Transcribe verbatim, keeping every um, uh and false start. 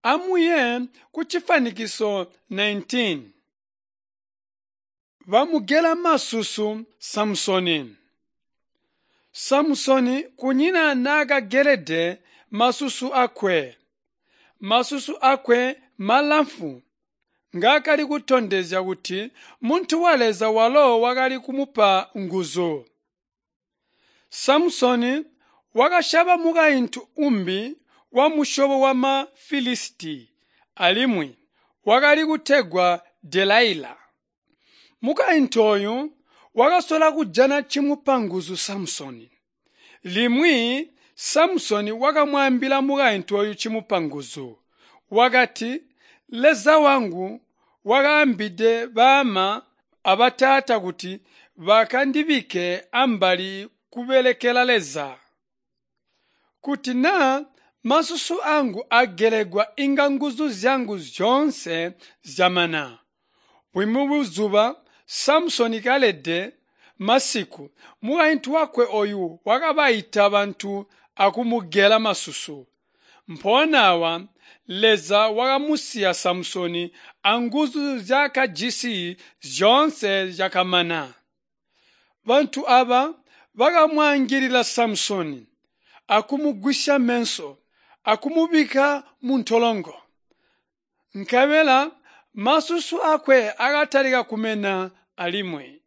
Amuye kucifwanikiso nineteen. Bamugela masusu Samusoni. Samusoni kunyina naakagelede masusu akwe. Masusu akwe malamfwu ngaakali kutondezya kuti muntu wa Leza walo wakali kumupa nguzu. Samusoni wakasyaba mukaintu umbi wamusyobo wama Filisiti alimwi wakali kutegwa Delaila. Mukaintu ooyu wakasola kujana cimupa nguzu Samusoni. Limwi Samusoni wakamwaambila mukaintu ooyu cimupa nguzu. Wakati, Leza wangu wakaambide baama abataata kuti bakandibikke ambali kubelekela Leza. Kuti naa masusu angu agelegwa inga nguzu zyangu zyoonse zyamana. Bumwi buzuba Samusoni kalede masiku, mukaintu wakwe ooyu wakabaita bantu akumugela masusu. Mpoona aawa Leza wakamusiya Samusoni anguzu nzyaakajisi zyoonse zyakamana. Bantu aaba bakamwaangilila Samusoni akumugwisya meso akumubikka muntolongo. Nkabela masusu aakwe akatalika kumena alimwi.